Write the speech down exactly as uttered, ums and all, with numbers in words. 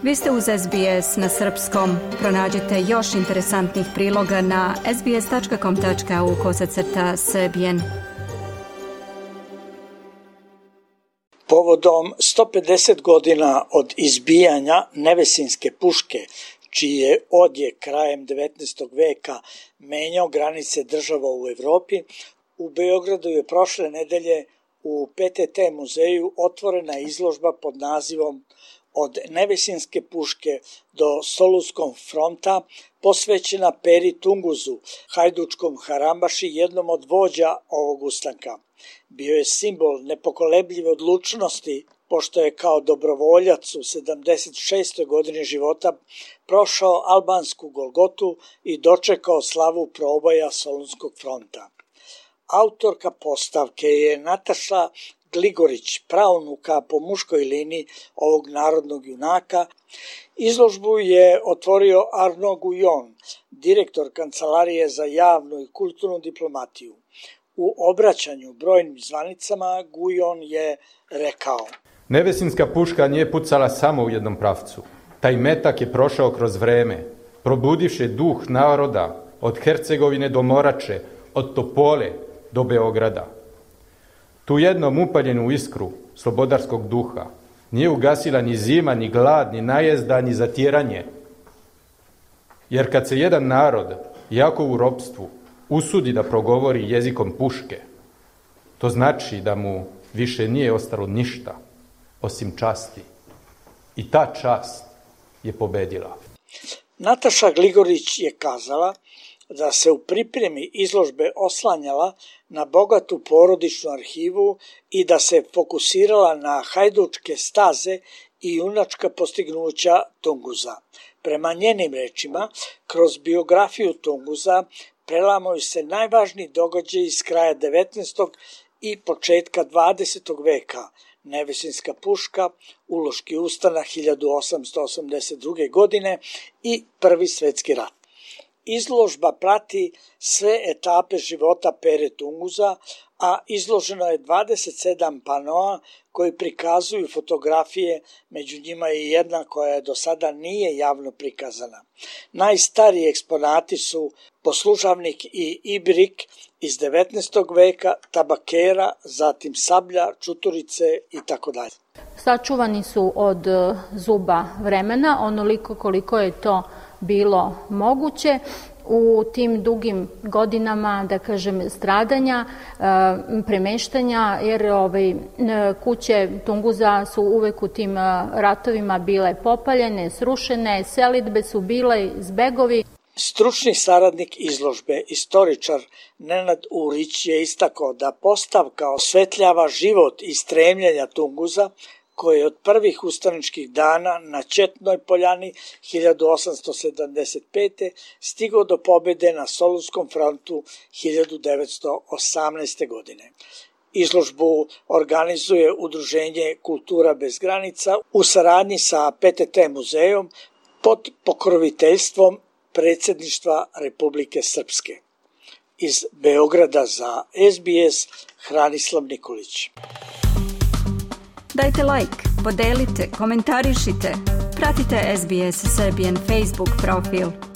Vi ste uz S B S na srpskom. Pronađite još interesantnih priloga na sbs.com.au kosacrta srbijen. Povodom sto pedeset godina od izbijanja Nevesinjske puške, čiji je odjek krajem devetnaestog veka menjao granice država u Evropi, u Beogradu je prošle nedelje u P T T muzeju otvorena izložba pod nazivom Od Nevesinjske puške do Solunskog fronta, posvećena Peri Tunguzu, hajdučkom harambaši, jednom od vođa ovog ustanka. Bio je simbol nepokolebljive odlučnosti, pošto je kao dobrovoljac u sedamdeset šestoj godini života prošao albansku Golgotu i dočekao slavu proboja Solunskog fronta. Autorka postavke je Nataša Gligorić, praunuka po muškoj liniji ovog narodnog junaka. Izložbu je otvorio Arno Gujon, direktor Kancelarije za javnu i kulturnu diplomatiju. U obraćanju brojnim zvanicama Gujon je rekao: Nevesinjska puška nije pucala samo u jednom pravcu. Taj metak je prošao kroz vreme, probudivši duh naroda od Hercegovine do Morače, od Topole do Beograda. Tu jednom upaljenu iskru slobodarskog duha nije ugasila ni zima, ni glad, ni najezda, ni zatjeranje. Jer kad se jedan narod, jako u ropstvu, usudi da progovori jezikom puške, to znači da mu više nije ostalo ništa osim časti. I ta čast je pobedila. Nataša Gligorić je kazala da se u pripremi izložbe oslanjala na bogatu porodičnu arhivu i da se fokusirala na hajdučke staze i junačka postignuća Tunguza. Prema njenim rečima, kroz biografiju Tunguza prelamaju se najvažniji događaji iz kraja devetnaestog i početka dvadesetog veka, Nevesinjska puška, Uloški ustanak hiljadu osamsto osamdeset druge. godine i Prvi svetski rat. Izložba prati sve etape života Pere Tunguza, a izloženo je dvadeset sedam panoa koji prikazuju fotografije, među njima je jedna koja do sada nije javno prikazana. Najstariji eksponati su poslužavnik i ibrik iz devetnaestog veka, tabakera, zatim sablja, čuturice itd. Sačuvani su od zuba vremena, onoliko koliko je to bilo moguće. U tim dugim godinama, da kažem, stradanja, premeštanja, jer ovaj, kuće Tunguza su uvek u tim ratovima bile popaljene, srušene, selidbe su bile, zbegovi. Stručni saradnik izložbe, istoričar Nenad Urić, je istakao da postavka osvetljava život i stremljenja Tunguza, koji je od prvih ustaničkih dana na Četnoj poljani hiljadu osamsto sedamdeset pete. stigao do pobede na Solunskom frontu hiljadu devetsto osamnaeste. godine. Izložbu organizuje Udruženje Kultura bez granica u saradnji sa P T T muzejom pod pokroviteljstvom Predsjedništva Republike Srpske. Iz Beograda za S B S, Hranislav Nikolić. Dajte like, podelite, komentarišite, pratite S B S Serbian Facebook profil.